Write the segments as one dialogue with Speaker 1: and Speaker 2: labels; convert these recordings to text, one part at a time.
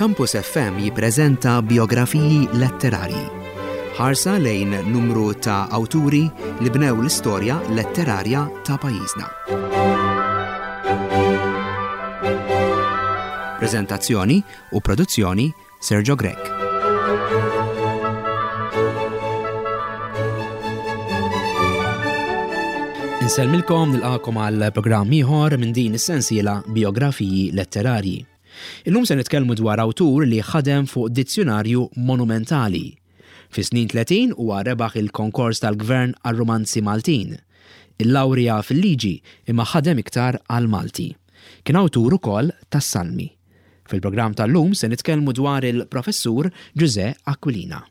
Speaker 1: Campus FM jippreżenta biografiji letterarji. Ħarsa lejn numru ta' awturi li bnew l-istorja letterarja ta' pajjiżna. Preżentazzjoni u produzzjoni Sergio Grech.
Speaker 2: Insellmilkom nilqakom għal programm ieħor minn din is-sensiela Biografiji Letterarji. Illum se nitkellmu dwar awtur li ħadem fuq dizzjunarju monumentali. Fis-snin 30 huwa rebaħ il-konkors tal-Gvern għar-rumanzi Maltin. Illawrja fil-liġi imma ħadem iktar għall-Malti. Kien awtur ukoll tas-Salmi. Fil-programm tal-lum se nitkellmu dwar il-Professur Ġużè Aquilina.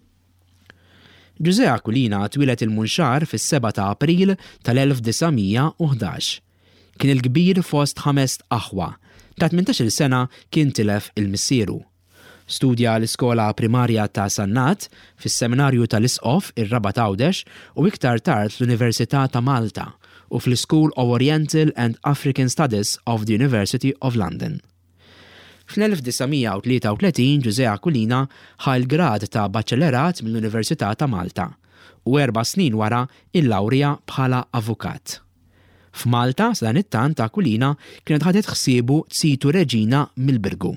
Speaker 2: Ġużè Aquilina twieled il-Munxar fis-7 ta' April tal-1911. Kien il-kbir fost ħamest aħwa. Ta' 18-il sena kien tilef il-missieru. Studja l-iskola primarja ta' Sannat, fis-Seminarju tal-Isqof, ir-Rabat Għawdex, u iktar tard fl-Università ta' Malta u fl-School of Oriental and African Studies of the University of London. Fl-1933 Ġużè Aquilina ħa l-grad ta' Baċellerat mill-Università ta' Malta u erba' snin wara l-lawrja bħala avukat. F'Malta, sadanittant, Aquilina kienet ħadet ħsiebu zitu Reġina mill-Birgu.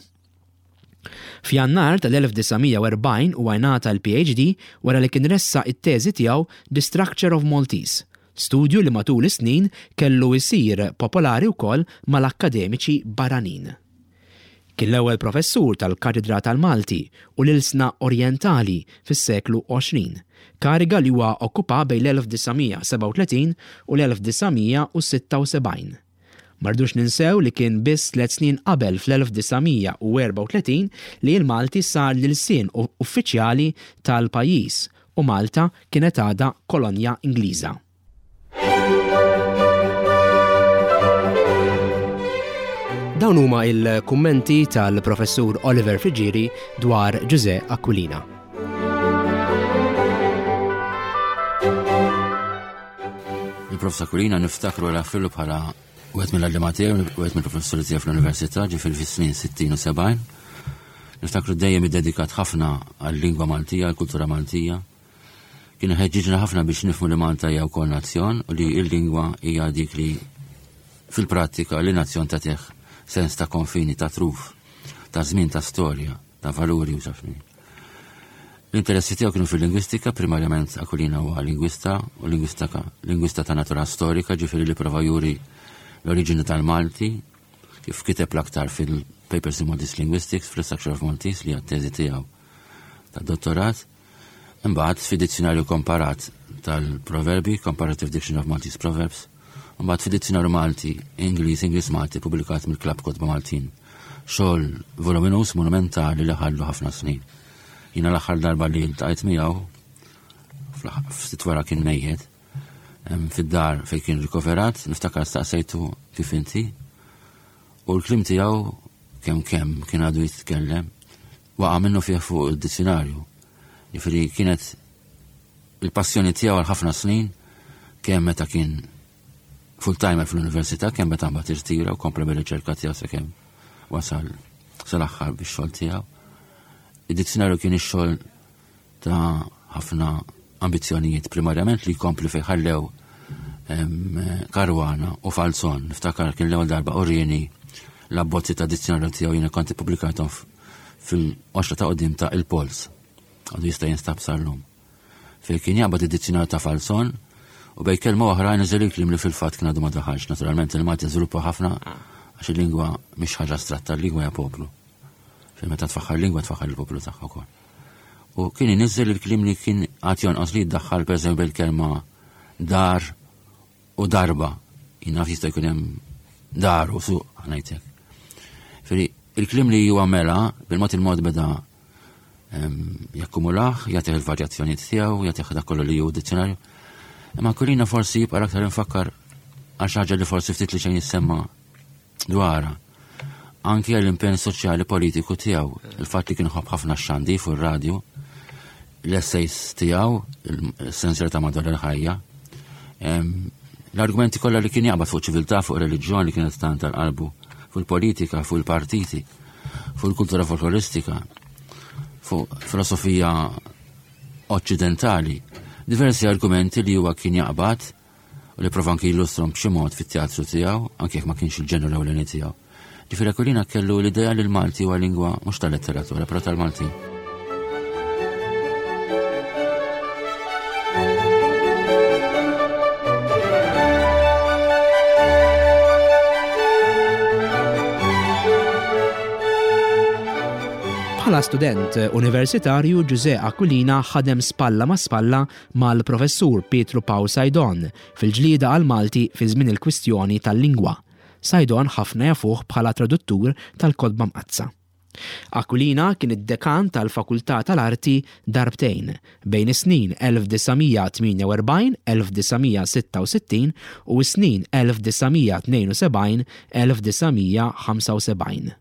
Speaker 2: F'Jannar tal-1940 huwa ingħata l-PhD wara li kien ressaq it-teżi tiegħu The Structure of Maltese, studju li matul is-snin kellu jsir popolari wkoll mal-akkademiċi barranin. Kien l-ewwel professur tal-Katedra tal-Malti u l-Ilsna Orjentali fis-seklu 20, kariga li huwa okkupa bejn l-1937 u l-1976. Ma rridux ninsew li kien biss tliet snin qabel fl-1934 li l-Malti sar l-ilsien uffiċjali tal-pajjiż u Malta kienet għadha kolonja Ingliża. Dawn huma il-kummenti tal-Professur Oliver Friggieri dwar Ġużè Aquilina.
Speaker 3: Il-Prof. Aquilina niftakru għal fillu bħala wieħed mill-għalliema tiegħi, wieħed mill-professuri tiegħi fl-università, ġifieri fis-snin 60 u 70. Niftakru dejjem iddedikat ħafna għal-lingwa Maltija, għall-kultura Maltija. Kien iħeġġiġna ħafna biex nifhmu li Malta hija wkoll nazzjon u li l-lingwa hija dik li fil-prattika li nazzjon tagħtih sens ta' konfini, ta' truf, ta' żmien, ta' storja, ta' valuri u xafni. L-interessi tiegħu kienu fil-lingwistika, primarjament Aquilina huwa lingwista u lingwista, lingwista ta' natura storika, ġifieri li prova juri l-oriġini tal-Malti, kif kiteb l-aktar fil-Papers in Maltese Linguistics, fl-Structure of Maltese li għat-teżi tiegħu ta' dottorat. Imbagħad fi dizzjonarju komparat tal-proverbi, Comparative Dictionary of Maltese Proverbs, imbagħad fi dizzjonarju Malti, Ingliż, Ingliż Malti, publikat mill-Klabb Kotba Maltin. Xogħol voluminus monumentali li ħallu ħafna snin. Jiena l-aħħar darba li ltqajt miegħu ftit wara kien mejjet fid-dar fejn kien rikoverat, niftakar staqsejtu kif inti u l-klim tiegħu kemm kemm kien għadu jitkellem waqa' minnu fih fuq id-dizzjonarju. Jiġifieri kienet il-passjoni tiegħu għal ħafna snin kemm meta kien full-timer fl-università kemm meta mbagħad irtira u kompla bir-riċerka tiegħu sakemm wasal sal-aħħar bix-xogħol tiegħu. Id-dizzjonarju kien ix-xogħol ta' ħafna ambizzjonijiet primarjament li jkompli fejn ħallew Karwana u Falzon. Niftakar kien l-ewwel darba urieni l-abbozzi ta' dizzjonarju tiegħu jiena kont ippubblikathom fil-qoxra ta' qudiem ta' Il-Pols. Għadu jista' jinstab sal-lum. Fejn kien jaqbad id-dizzjonarju ta' Falzon u bej kelma oħra niżel il-kliem li fil-fatt kien għadu ma daħalx. Naturalment il-Malti żviluppa ħafna għax il-lingwa mhix ħaġa astratta, il-lingwa hija poplu. Fejn meta tfaħħar lingwa tfaħħar il-poplu tagħha wkoll. U kien iniżżel il-kliem li kien għad jonqos li jiddaħħal pereżempju il-kelma dar u darba. Jien naf jista' jkun hemm dar u suq ngħidlek. Feri il-kliem li huwa mela bil-mod il-mod beda jakkumulaħ, jagħtih il-varjazzjonijiet tiegħu, jagħtih dak kollu li hu dizzjonarju. Imma kulina forsi jibqa' aktar infakkar għal xi ħaġa li forsi ftit li xejn jissemma dwarha. Anki għall-impenn soċjali politiku tiegħu, il-fatt li kien ħobb ħafna x-xandi fuq ir-radju, l-essays tiegħu, il-senser ta' madwar il-ħajja, l-argumenti kollha li kien jaqbad fuq ċiviltà, fuq reliġjon li kienet tant tal-qalbu, fuq il-politika, fuq il-partiti. fuq il-kultura folkloristika, fuq filosofija oċċidentali, diversi argumenti li huwa kien jaqbad u li prova anki jillustrom b'xi mod fit-teatru tiegħu, anke jekk ma kienx il-ġenru l-ewleni tiegħu. Ġifieri Aquilina kellu l-idea li l-Malti huwa lingwa mhux tal-letteratura, però tal-Malti.
Speaker 2: Bħala student universitarju Ġużè Aquilina ħadem spalla ma' spalla mal-Professur Pietru Pawl Saydon fil-ġlieda għall-Malti fi żmien il-kwistjoni tal-lingwa. Saydon ħafna jafuh bħala traduttur tal-Kotba Mqaddsa. Aquilina kien id-dekan tal-Fakultà tal-Arti darbtejn, bejn is-snin 1948, 1966 u s-snin 1972, 1975.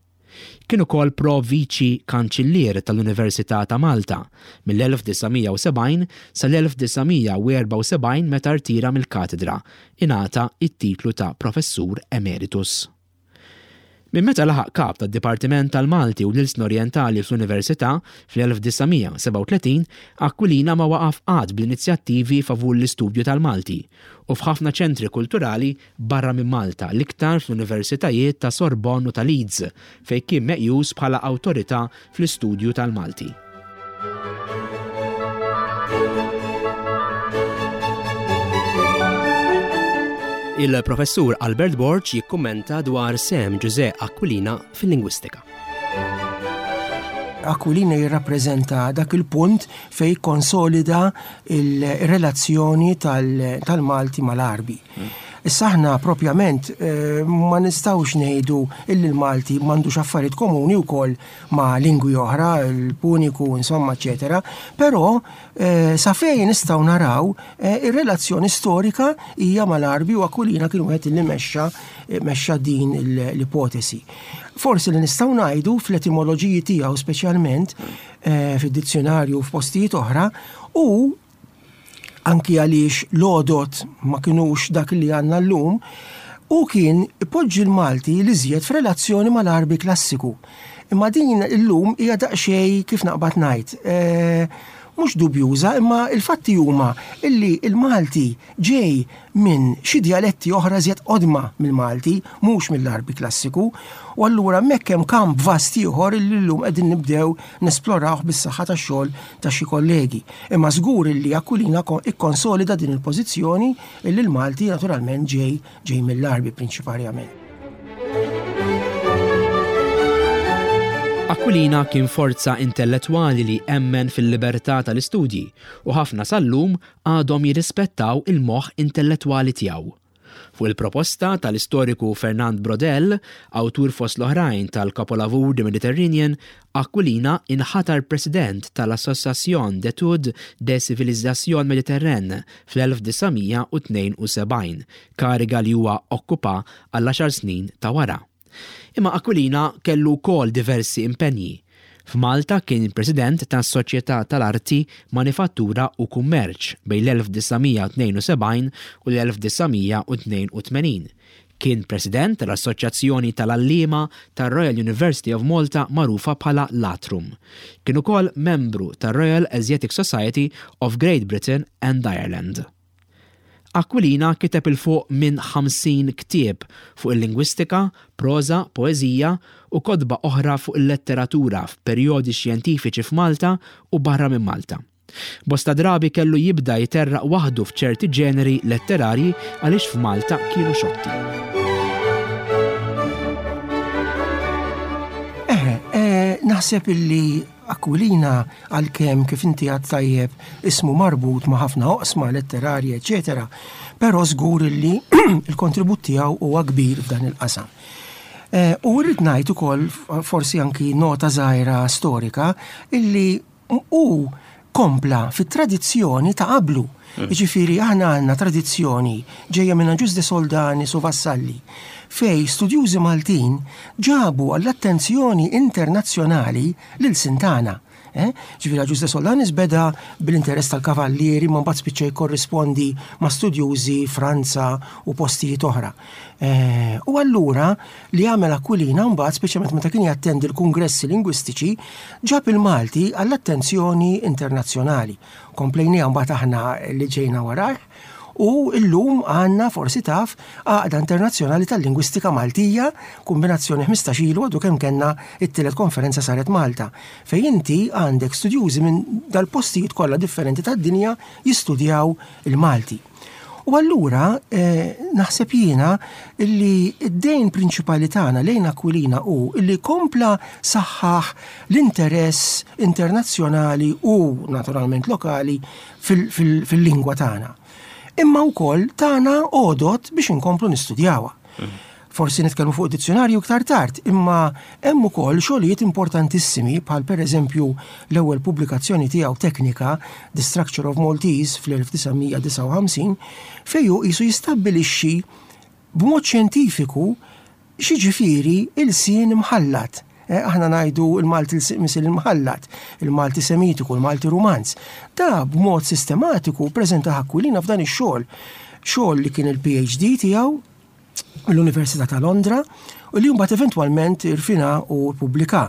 Speaker 2: Kien ukoll Pro Viċi Kanċillier tal-Università ta' Malta mill-1970 sal-1974 meta rtira mill-katedra, ingħata t-titlu ta' Professur Emeritus. Minn meta laħaq Kap tad-Dipartiment tal-Malti u l-Ilsna Orjentali fl-Università fl-1937, Aquilina ma waqaf qatt bl-inizjattivi favur l-istudju tal-Malti u f'ħafna ċentri kulturali barra minn Malta, l-iktar fl-Universitajiet ta' Sorbonne u ta' Leeds, fejn kien meqjus bħala awtorità fl-istudju tal-Malti. Il-Professur Albert Borg jikkummenta dwar sehem Ġużè Aquilina fil-lingwistika.
Speaker 4: Aquilina jirrappreżenta dak il-punt fejn ikkonsolida il-relazzjoni tal-Malti mal-Għarbi. Issa aħna propjament eh, ma nistgħux ngħidu illi l-Malti m'għandux affarijiet komuni wkoll ma' lingwi oħra, il-Puniku, insomma, eċetera, però eh, sa fejn nistgħu naraw eh, ir-relazzjoni storika hija mal-Għarbi u Aquilina kien wieħed li mexxa mexxa din l-ipotesi. Forsi li nistgħu ngħidu fl-etimoloġiji tiegħu speċjalment eh, fid-dizzjonarju u f'postijiet oħra u anki għaliex l-għodod ma kinux dak li għandna llum, u kien ipoġġi l-Malti li żjed f'relazzjoni mal-Għarbi klassiku. Imma din illum hija daqsxejn kif naqbad ngħid, eh, mhux dubjuża, imma il-fatti huma illi l-Malti ġej minn xi djaletti oħra iżjed qodma mill-Malti, mhux mill-Għarbi klassiku, u allura hemmhekk hemm kamp vast ieħor illi llum qegħdin nibdew nesplorawh bis-saħħa tax-xogħol ta' xi kollegi. Imma żgur illi Aquilina ikkonsolida din il-pożizzjoni illi l-Malti naturalment ġej ġej mill-Għarbi prinċiparjament.
Speaker 2: Aquilina kien forza intellettwali li emmen fil-libertà tal-istudji u ħafna sal-lum għadhom jirrispettaw il-moħħ intellettwali tiegħu. Fuq il-proposta tal-istoriku Fernand Braudel, awtur fost l-oħrajn tal-kapolavur The Mediterranean, Aquilina inħatar President tal-Association d'études des civilisations méditerranéennes fl-1972, kariga li huwa okkupa għall-għaxar snin ta' wara. Imma Aquilina kellu wkoll diversi impenji. F'Malta kien President tas-Soċjetà tal-Arti, Manifattura u Kummerċ bejn l-1972 u l-1982. Kien President tal-Assoċjazzjoni tal-Għalliema tar-Royal University of Malta magħrufa bħala l-Atrum. Kien ukoll membru tar-Royal Asiatic Society of Great Britain and Ireland. Aquilina kiteb 'il fuq minn 50 ktieb fuq il-lingwistika, proża, poeżija u kotba oħra fuq il-letteratura f'perjodi xjentifiċi f'Malta u barra minn Malta. Bosta drabi kellu jibda jterraq waħdu f'ċerti ġeneri letterarji għaliex f'Malta kienu xotti.
Speaker 4: Eħe, eh, naħseb illi Aquilina, għalkemm kif inti għedt tajjeb ismu marbut ma' ħafna oqsma letterarji eċċetera, però żgur illi l-kontribut tiegħu huwa kbir f'dan il-qasam. Eh, u rrid ngħid ukoll forsi anki nota żgħira storika illi hu kompla fit-tradizzjoni ta' qablu. Mm. Jiġifieri aħna għandna tradizzjoni ġejja minn Agius de Soldanis u Vassalli fej studjużi Maltin ġabu għall-attenzjoni internazzjonali lil Sintana. Eh? Ġifieri Agius de Solanis beda bil-interess tal-kavallieri ma mbagħad spiċċa jikkorrispondi ma' studjużi Franza u postijiet oħra. Eh, u allura li għamel Aquilina mbagħad speċjalment meta kien jattendi l-kungressi lingwistiċi ġab il-Malti għall-attenzjoni internazzjonali. Komplejniha mbagħad aħna li ġejna warajh u llum għandna forsi taf Għaqda Internazzjonali tal-Lingwistika Maltija, kumbinazzjoni 15 ilu għadu kemm kellna it-tielet konferenza saret Malta, fejn inti għandek studjużi minn dal-postijiet kollha differenti tad-dinja jistudjaw il-Malti. U allura eh, naħseb jiena li d-dejn prinċipali tagħna lejn Aquilina hu li kompla saħħaħ l-interess internazzjonali u naturalment lokali fil-lingwa tagħna. Imma wkoll tagħna għodot biex inkomplu nistudjawha. Forsi nitkellmu fuq dizzjonarju iktar tard, imma hemm ukoll xogħlijiet importantissimi bħal pereżempju l-ewwel pubblikazzjoni tiegħu teknika The Structure of Maltese fl-1959 fejn hu qisu jistabbilixxi b'mod xjentifiku x'jiġifieri ilsien imħallat. Eh, aħna ngħidu l-Malti misil imħallat, il-Malti Semitiku, il-Malti Rumanz. Da b'mod sistematiku preżenta Aquilina f'dan ix-xogħol. Xogħol li kien il-PhD tiegħu mill-Università ta' Londra u li mbagħad eventwalment irfina u ppubblika.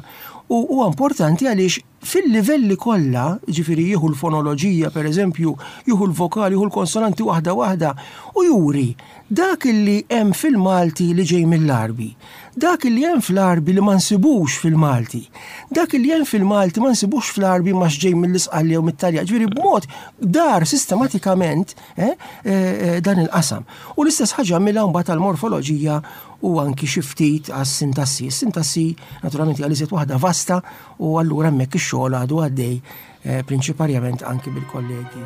Speaker 4: U huwa importanti għaliex fil-livelli kollha, jiġifieri jieħu l-fonoloġija pereżempju, jieħu l-vokali, jieħu l-konsonanti waħda waħda u juri dak illi hemm fil-Malti li ġej mill-Għarbi, dak illi hemm fl-Għarbi li ma nsibux fil-Malti, dak illi hemm fil-Malti ma nsibux fl-Għarbi ma x'ġej mill-Isqalli jew mit-Taljan. Ġifieri b'mod dar sistematikament eh, eh, eh, dan il-qasam. U l-istess ħaġa għamilha mbagħad għall-morfoloġija u anki xi ftit għas-sintassi. Is-sintassi naturalment hija l-iżjed waħda vasta u allura hemmhekk ix-xogħol għadu għaddej eh, prinċiparjament anki bil-kollegi.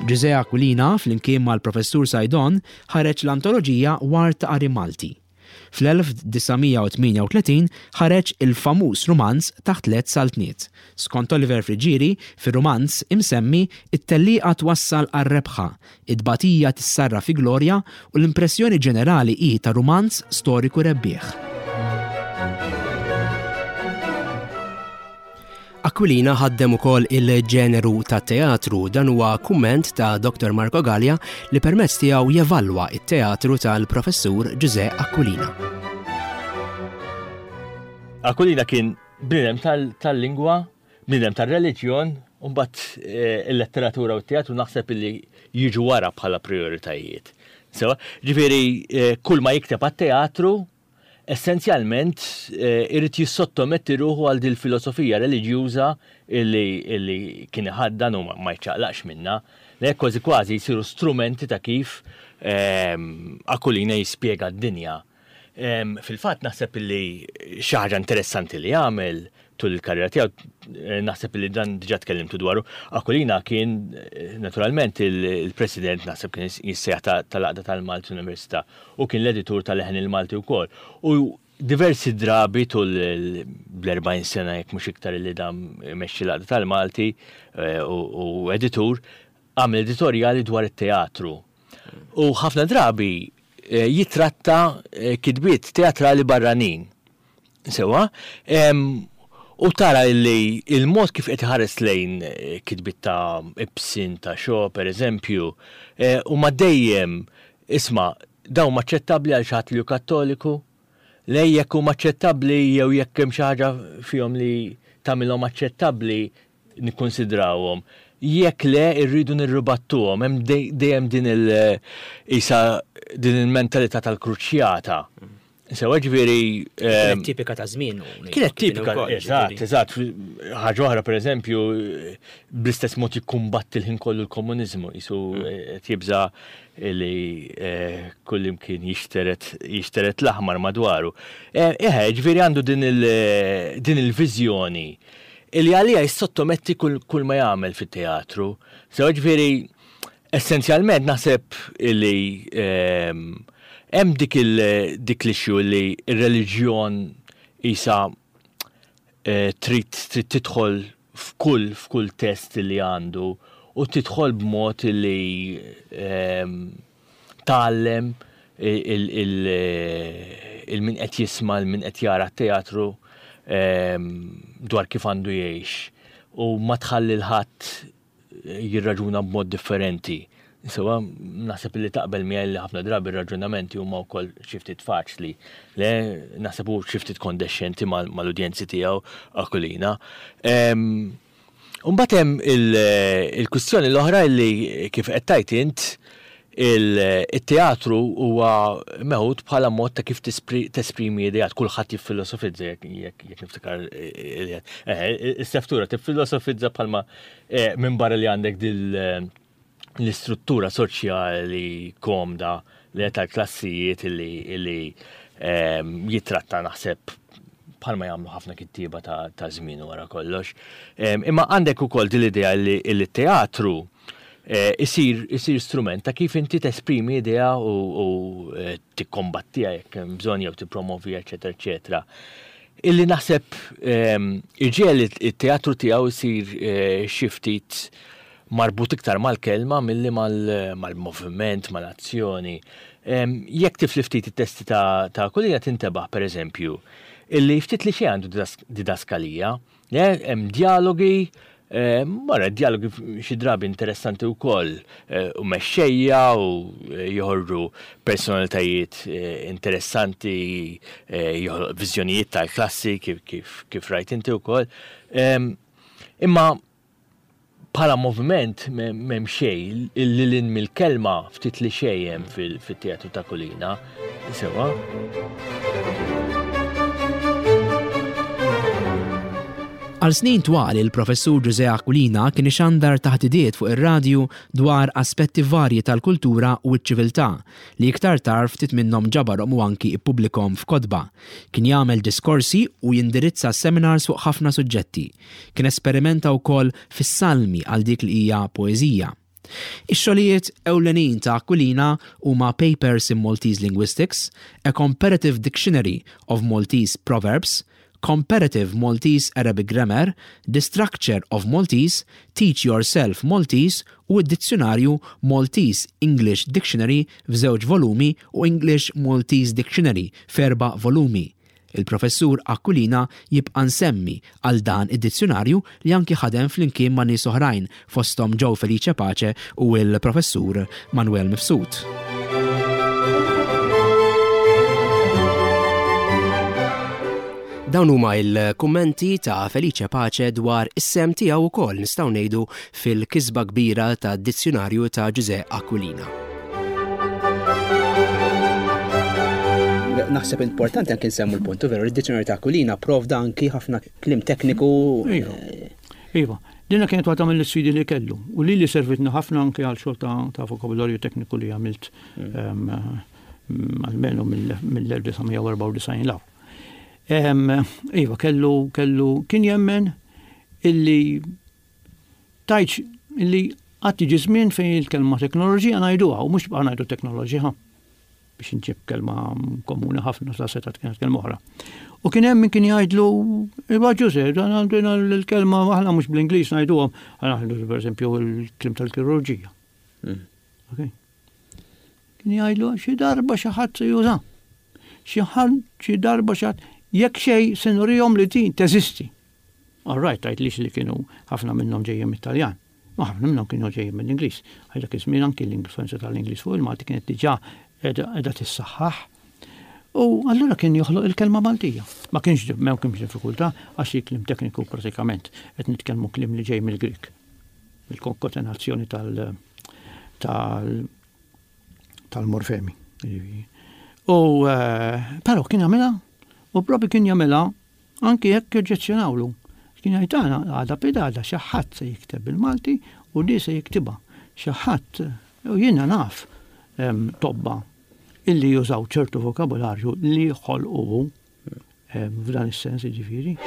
Speaker 2: Ġużè Aquilina, flimkien mal-Professur Saydon, ħareġ l-antoloġija Ward ta' Qari Malti. Fl-1938 ħareġ il-famuż rumanz Taħt Tliet Saltniet. Skont Oliver Friggieri, fir-rumanz imsemmi, it-tellieqa twassal għar-rebħa, it-tbatija tissarraf fi glorja u l-impressjoni ġenerali hi ta' rumanz storiku rebbieħ. Aquilina ħaddem ukoll il-ġeneru tat-teatru, dan huwa kumment ta' Dr. Marco Galea li permezz tiegħu jevalwa t-teatru tal-Professur Ġużè Aquilina.
Speaker 5: Aquilina kien bniedem tal-lingwa, bniedem tar-reliġjon, u mbagħad eh, il-letteratura u t-teatru naħseb li jiġu wara bħala prioritajiet. Sewa, ġifieri eh, kull ma jikteb għat-teatru essenzjalment irid jissottometti ruħu għal dil-filosofija reliġjuża illi kien iħaddan u ma jċaqlaqx minnha. Li kważi kważi jsiru strumenti ta' kif Aquilina jispjega d-dinja. Fil-fatt naħseb illi xi ħaġa interessanti li għamel tul il-karriera tiegħu, naħseb li dan diġà tkellimtu dwaru, Aquilina kien naturalment il-president naħseb kien jissejjaħ tal-Għaqda tal-Malti Università u kien l-editur ta' Leħen il-Malti wkoll. U diversi drabi tul l-40 sena jekk mhux iktar li dam imexxi l-Għaqda tal-Malti eh, u editur, għamel editorjali dwar it-teatru. U ħafna drabi eh, jitratta eh, kitbiet teatrali barranin. Sewwa, u tara li il-mod kif qed iħares lejn eh, kitbiet ta' Ibsen, ta' Shaw, per eżempju, eh, huma dejjem isma' dawn aċċettabbli għal xi ħadd li hu Kattoliku? Le jekk huma aċċettabbli jew jekk hemm xi ħaġa fihom li tagħmilhom aċċettabbli nikkunsidrawhom. Jekk le irridu nirribattuhom, hemm dejjem din il isa din il-mentalità tal-kruċjata. Sewa ġifieri.
Speaker 2: Kienet ehm, tipika ta' żmien.
Speaker 5: Kienet tipika, eżatt, eżatt. Ħaġa oħra pereżempju, bl-istess mod jikkumbatti l-ħin kollu l-komuniżmu, jisu mm. eh, tjibża li eh, kullimkien jixteret jixteret l-aħmar madwaru. Eh, eħe, ġifieri għandu din il-viżjoni li għalija jissottometti kull ma jagħmel fit-teatru. Sewa ġifieri Essenzjalment naħseb li ehm, hemm dik il dik l-issue li r-reliġjon isa eh, trid trid tidħol f'kull f'kull test li għandu u tidħol b'mod li ehm, tgħallem. il-min qed jisma' il-min qed jara t-teatru dwar kif għandu jgħix u ma tħalli l-ħadd jirraġuna b'mod differenti. Sewa, naħseb li taqbel miegħi li ħafna drabi r-raġunamenti huma wkoll xi ftit faċli. Le, naħseb hu xi ftit kondexxenti mal-udjenzi tiegħu Aquilina. Imbagħad hemm il-kwistjoni l-oħra li kif qed tgħid int il-teatru huwa meħud bħala mod ta' kif tesprimi ideat, kulħadd jiffilosofizza jekk niftakar is-seftura tiffilosofizza bħalma minn barra li għandek dil l-istruttura soċjali komda li tal-klassijiet li jitratta naħseb bħalma jagħmlu ħafna kittieba ta' żmien wara kollox. Imma għandek ukoll din l-idea li t-teatru eh, isir isir strument ta' kif inti tesprimi idea u eh, tikkombattiha jekk hemm bżonn jew tippromovija, eċetera, eċetera. Illi naħseb ehm, iġiegħel it-teatru tiegħu jsir eh, xi ftit marbut iktar mal-kelma milli mal-moviment, mal-azzjoni. Ehm, jekk tifli ftit it-testi ta' Aquilina tintebaħ pereżempju illi ftit li xejn għandu didaskalija, hemm dialogi, ehm, wara dialogi xi drabi interessanti wkoll eh, u mexxejja u eh, joħorġu personalitajiet eh, interessanti, joħloq viżjonijiet tal-klassi kif, kif, rajt inti wkoll. Ehm, imma Bħala moviment m'hemm xejn, lil hinn mill-kelma ftit li xejn hemm fit-teatru ta' Kulina. Sewwa.
Speaker 2: Għal snin twal il-Professur Ġużè Aquilina kien ixandar taħdidiet fuq ir-radju dwar aspetti varji tal-kultura u ċ-ċiviltà, li iktar tard ftit minnhom ġabarhom u anki ppubblikhom f'kotba. Kien jagħmel diskorsi u jindirizza seminars fuq ħafna suġġetti. Kien esperimenta wkoll fis-salmi għal dik li hija poeżija. Ix-xogħlijiet ewlenin ta' Aquilina huma Papers in Maltese Linguistics, A Comparative Dictionary of Maltese Proverbs, Comparative Maltese Arabic Grammar, The Structure of Maltese, Teach Yourself Maltese u d-dizzjunarju Maltese English Dictionary f'żewġ volumi u English Maltese Dictionary f'erba' volumi. Il-Professur Aquilina jibqa' nsemmi għal dan id-dizzjunarju li anki ħadem flimkien ma' nies oħrajn fosthom Joe Felice Pace u l-Professur Manuel Mifsud. Dawn huma il-kummenti ta' Felice Pace dwar is-sehem tiegħu wkoll nistgħu ngħidu fil-kisba kbira tad-dizzjunarju ta' Ġużè Aquilina. Naħseb importanti anki nsemmu l-punt, veru, id-dizzjunarju ta' Aquilina provda anki ħafna kliem tekniku.
Speaker 6: Iva. Iva. Dina kienet waħda mill-isfidi li kellu u li li servitni ħafna anki għal xogħol ta' vokabularju tekniku li għamilt mm. ehm, almenu mill-1994 law. Ehm, iva, kellu, kellu, kien jemmen illi Tgħidx li għad jiġi żmien fejn il-kelma teknoloġija ngħiduha u mhux tibqa' ngħidu teknoloġija biex inġib kelma komuni ħafna sa setgħet kienet kelma oħra. U kien hemm min kien jgħidlu, Iva Ġuże, dan għandina l-kelma aħna mhux bl-Ingliż ngħiduhom, aħna ngħidu pereżempju l-kliem tal-kirurġija. Hmm. Okay. Kien jgħidlu xi darba xi ħadd se juża. Xi ħadd xi darba xi ħadd jekk xejn se nurihom li din teżisti. All right, tgħidlix li kienu ħafna minnhom ġejjin mit-Taljan. Ma ħafna minnhom kienu ġejjin mill-Ingliż. Għal dak iż-żmien anki l-influenza tal-Ingliż fuq il-Malti kienet diġà qiegħda tissaħħaħ. U allura kien joħloq il-kelma Maltija. Ma kienx ma kienx diffikultà għax il-kliem tekniku pratikament qed nitkellmu kliem li ġej mill-Grik. Il-konkatenazzjoni tal tal tal-morfemi. U eh, però kien jagħmilha u propju kien jagħmilha Anki jekk joġġezzjonawlu. Kien jgħid aħna għada pidgħada xi ħadd se jikteb bil-Malti u di se jiktibha. Xi ħadd, u jiena naf tobba illi jużaw ċertu vokabularju li ħolqu hu f'dan is-sens jiġifieri.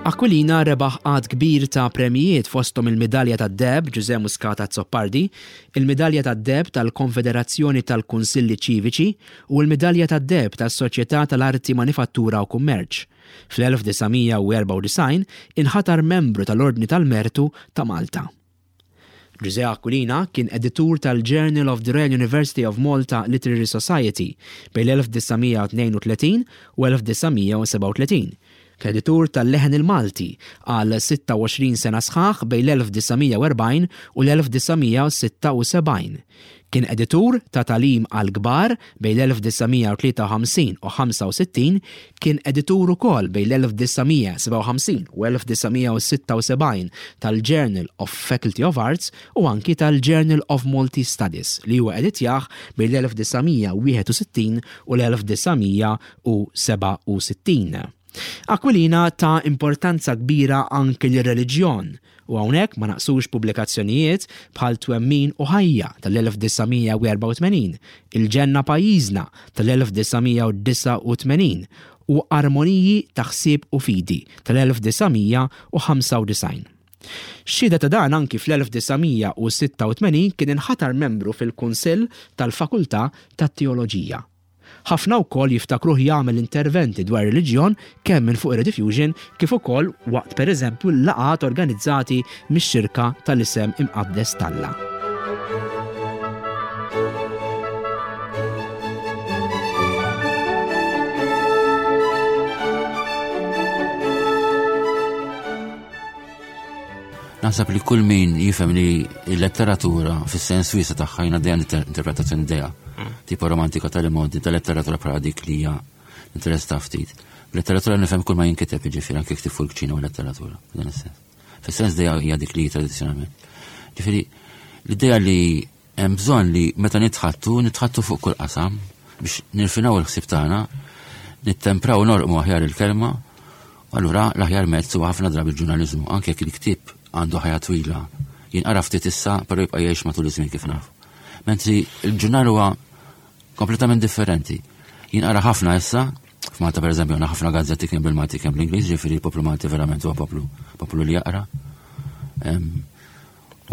Speaker 2: Aquilina rebaħ għadd kbir ta' premjijiet fosthom il-Midalja tad-Deheb Ġużè Muscat Azzopardi, il-Midalja tad-Deheb tal-Konfederazzjoni tal-Kunsilli Ċiviċi u l-Midalja tad-Deheb tas-Soċjetà tal-Arti Manifattura u Kummerċ. Fl-1994 inħatar membru tal-Ordni tal-Mertu ta' Malta. Ġużè Aquilina kien editur tal-Journal of the Royal University of Malta Literary Society bejn l-1932 u 1937. Kien editur tal-Leħen il-Malti għal 26 sena sħaħ bejn l-1940 u l-1976. Kien editur ta' Tagħlim għall-Kbar bejn l-1953 u 65, kien editur ukoll bejn l-1957 u 1976 tal-Journal of Faculty of Arts u anki tal-Journal of Maltese Studies li huwa editjah bejn l-1961 u l-1967. Aquilina ta importanza kbira anki lir-reliġjon u hawnhekk ma naqsux pubblikazzjonijiet bħal Twemmin u Ħajja tal-1984, Il-Ġenna Pajjiżna tal-1989 u Armoniji ta' Ħsieb u Fidi tal-1995. Xhieda ta' dan anki fl-1986 kien inħatar membru fil-Kunsill tal-Fakultà tat-Teoloġija. Ħafna wkoll jiftakruh jagħmel interventi dwar ir-reliġjon kemm minn fuq ir-Rediffusion kif ukoll waqt pereżempju l-laqgħat organizzati mix-Xirka tal-Isem Imqaddes t'Alla.
Speaker 3: Naħseb li kull min jifhem li l-letteratura fis-sens wiesa tagħha jiena dejjem interpretazzjoni dejja. Mm. Tipo romantika tal-imodi tal-letteratura bħala dik li hija interess ta' ftit. Letteratura nifhem kull ma jinkiteb jiġifieri anke ktib fuq il-kċina u letteratura, dan is-sens. Fis-sens dejja hija dik li tradizzjonalment. Ġifieri l-idea li Hemm bżonn li meta nitħaddtu, nitħaddtu fuq kull qasam biex nirfinaw il-ħsieb tagħna, nittempraw u norqmu aħjar il-kelma, u allura l-aħjar mezz huwa ħafna drabi l-ġurnaliżmu, anke jekk il-ktieb għandu ħajja twila, jinqara ftit issa, però jibqa' jgħix matul iż-żmien kif nafu. Mentri l-ġurnal huwa kompletament differenti. Jinqara ħafna issa, f'Malta pereżempju għandna ħafna gazzetti kemm bil-Malti kemm bl-Ingliż, ġifieri l-poplu Malti verament huwa poplu poplu li jaqra.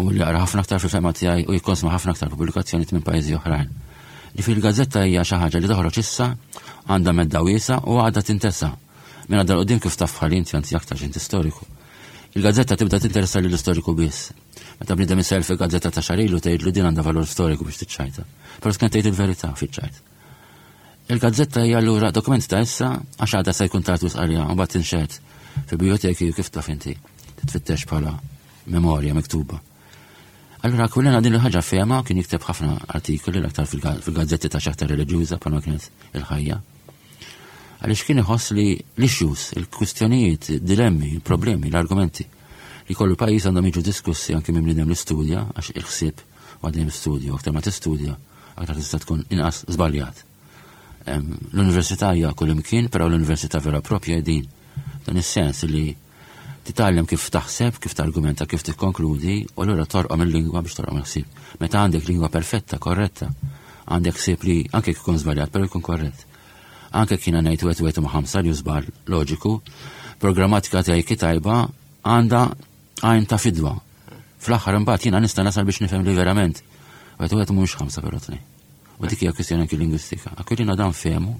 Speaker 3: U li jaqra ħafna aktar fil-fehma tiegħi u jikkonsma ħafna aktar pubblikazzjonijiet minn pajjiżi oħrajn. Ġifieri l-gazzetta hija xi ħaġa li toħroġ issa, għandha medda wiesgħa u għadha tintesa. Minn għadha l-qudiem kif taf bħal inti anzi aktar x'inti storiku. Il-gazzetta tibda tinteressa lill-istoriku biss. Meta bniedem isel fil-gazzetta ta' xahar ilu tgħidlu din għandha valur storiku biex tiċċajta. Però tkun tgħid il-verità fiċ-ċajt. Il-gazzetta hija allura dokument ta' issa għax għadha se jkun tard wisq għaliha u mbagħad tinxehed fil-bijoteki u kif taf inti titfittex bħala memorja miktuba. Allura Aquilina din il-ħaġa fehma kien jikteb ħafna artikoli l-aktar fil-gazzetti ta' xaħta reliġjuża bħalma kienet il-ħajja. Għaliex kien iħoss li l-issues, il-kwistjonijiet, dilemmi, il-problemi, l-argumenti li kollu pajjiż għandhom jiġu diskussi anke minn bniedem li studja għax il-ħsieb għadjem studju, aktar ma tistudja, aktar tista' tkun inqas żbaljat. L-università hija kull imkien, però l-università vera propja din. Dan is-sens li Titgħallem kif taħseb, kif targumenta, kif tikkonkludi, u allura torqom il-lingwa biex torqom il-ħsieb. Meta għandek lingwa perfetta, korretta, għandek ħsieb li anke jekk ikun żbaljat, però jkun korrett. Anke jekk jiena ngħid wieħed wieħed huma ħamsa li hu żball loġiku, programmatika tiegħi ki tajba għandha għajn ta' fidwa. Fl-aħħar imbagħad jiena nista' nasal biex nifhem li verament wieħed wieħed mhumiex ħamsa però tnejn. U dik hija kwistjoni anki lingwistika. Aquilina dan fehmu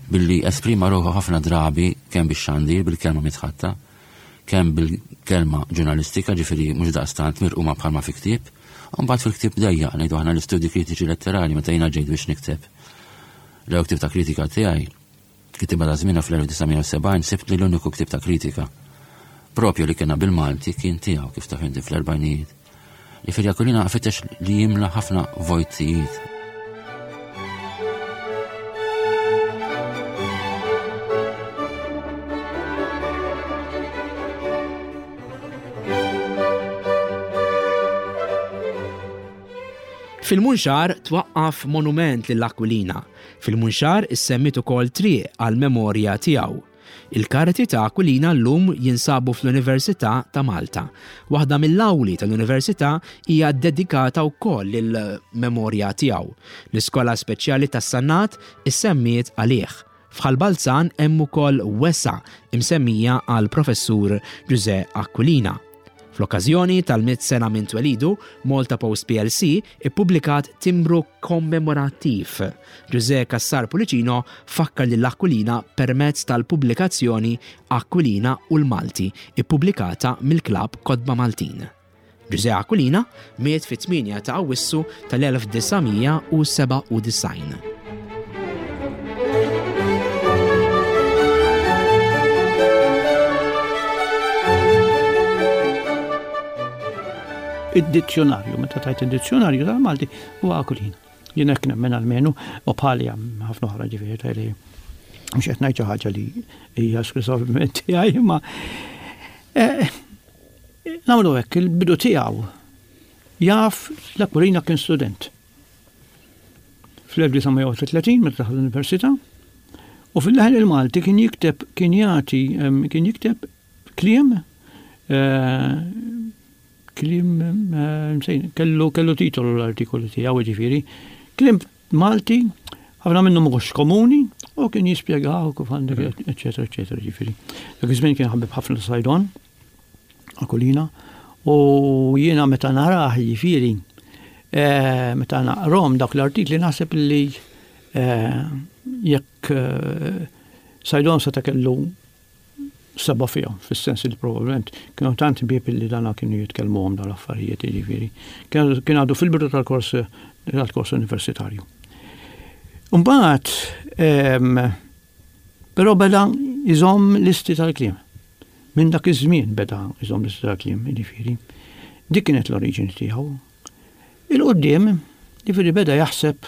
Speaker 3: billi esprima ruħu ħafna drabi kemm bix-xandir bil-kelma mitħatta, kemm bil-kelma ġurnalistika, ġifieri mhux daqstant mirquma bħalma fi ktieb, u mbagħad fil-ktieb dejjaq ngħidu aħna l-istudji kritiċi letterali meta jiena ġejt biex nikteb l-ewwel ktieb ta' kritika tiegħi Kittiba ta' żmienha fl-1970 sibt li l-uniku ktieb ta' kritika propju li kellna bil-Malti kien tiegħu kif taf inti fl-erbgħinijiet. Jifieri Aquilina fittex li jimla ħafna vojtijiet.
Speaker 2: Fil-Munxar twaqqaf monument lil Aquilina Fil-Munxar issemmiet ukoll triq għall-memorja tiegħu. Il-karti ta' Aquilina llum jinsabu fl-Università ta' Malta. Waħda mill-awli tal-Università hija ddedikata wkoll lill-memorja tiegħu. L-Iskola Speċjali tas-Sannat issemmiet għalih. F'Ħal Balzan hemm ukoll wesgħa imsemmija għall-Professur Ġużè Aquilina. Fl-okkażjoni tal-mitt sena minn twelidu, Malta Post plc ippubblikat timbru kommemorattiv. Ġużè Cassar Pullicino fakkar lil Aquilina permezz tal-pubblikazzjoni Aquilina u l-Malti, ippubblikata mill-Klabb Kotba Maltin. Ġużè Aquilina miet fit-8 ta' Awwissu tal-1997.
Speaker 6: Id-dizzjonarju, meta tajt id-dizzjonarju tal-Malti, huwa Aquilina. Jien hekk nemmen almenu, u bħali hemm ħafna oħra ġifieri tajli mhux qed ngħid xi ħaġa li hija esklusivament tiegħi, imma eh, Nagħmlu hekk, il-bidu tiegħu jaf l-Aquilina kien student. Fl-1931 meta daħal l-università u fil-leħen il-Malti kien jikteb kien jagħti kien jikteb kliem eh, kliem eh, kellu kellu titolu l-artikolu tiegħu jiġifieri kliem Malti, ħafna minnhom mhux komuni, u kien jispjegaw kif għandek, eċetera, eċetera, ġifieri. Dak iż-żmien kien ħabib ħafna Sajdon, Akulina, u jiena meta narah jiġifieri, eh, meta naqrom dak l-artikli naħseb li eh, jekk eh, Sajdon seta' kellu seba' fihom, fis-sens li probabbilment kienu tant ħbieb li dana kienu jitkellmuhom dawn l-affarijiet, jiġifieri. Kien għadu fil-bidu tal-kors tal-kors universitarju. Mbagħad però beda jżomm listi tal-kliem. Minn dak iż-żmien beda jżomm listi tal-kliem, jiġifieri. Dik kienet l-oriġini tiegħu. Il-qudiem, jiġifieri beda jaħseb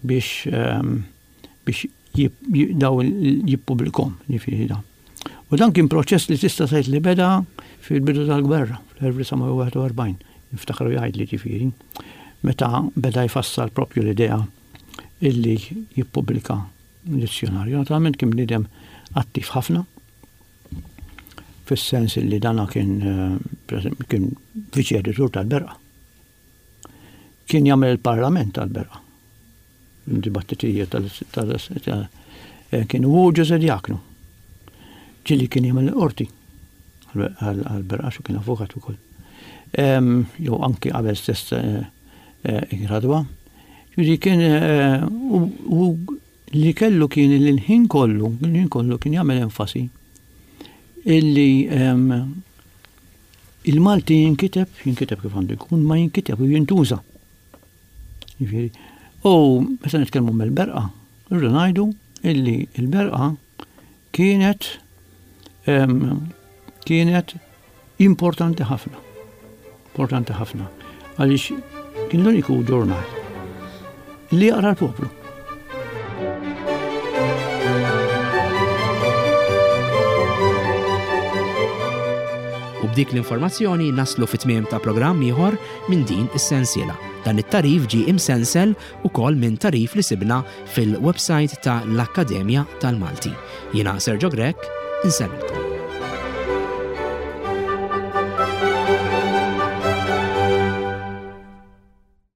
Speaker 6: biex biex daw jippubblikhom, jiġifieri dan. U dan kien proċess li tista' tgħid li beda fil-bidu tal-gwerra, fl-1941, niftakru jgħidli ġifieri, meta beda jfassal propju l-idea illi jippubblika dizzjonarju. Naturalment kien bniedem attiv ħafna, fis-sens illi dana kien eh, kien viċi editur tal-Berqa. Kien jagħmel il-parlament tal-Berqa. Dibattitijiet tal eh, kien u Ġuże Diaknu. Ġili kien jagħmel il-qorti għal-Berqa xu kien avukat ukoll. Jew anki qabel stess eh, eh, gradwa. Ġifieri kien u li kellu kien li l-ħin kollu, l-ħin kollu kien jagħmel enfasi illi il-Malti jinkiteb, jinkiteb kif għandu jkun, ma jinkiteb u jintuża. Jiġifieri, u meta nitkellmu mill-berqa, rridu ngħidu illi l-berqa kienet kienet importanti ħafna. Importanti ħafna. Għaliex kien l-uniku ġurnal li jaqra l-poplu.
Speaker 2: U b'dik l-informazzjoni naslu fit-tmiem ta' programm ieħor minn din is-sensiela. Dan it-tagħrif ġie imsensel ukoll minn tagħrif li sibna fil-website ta' l-Akkademja tal-Malti. Jiena Sergio Grech, insellmilkom.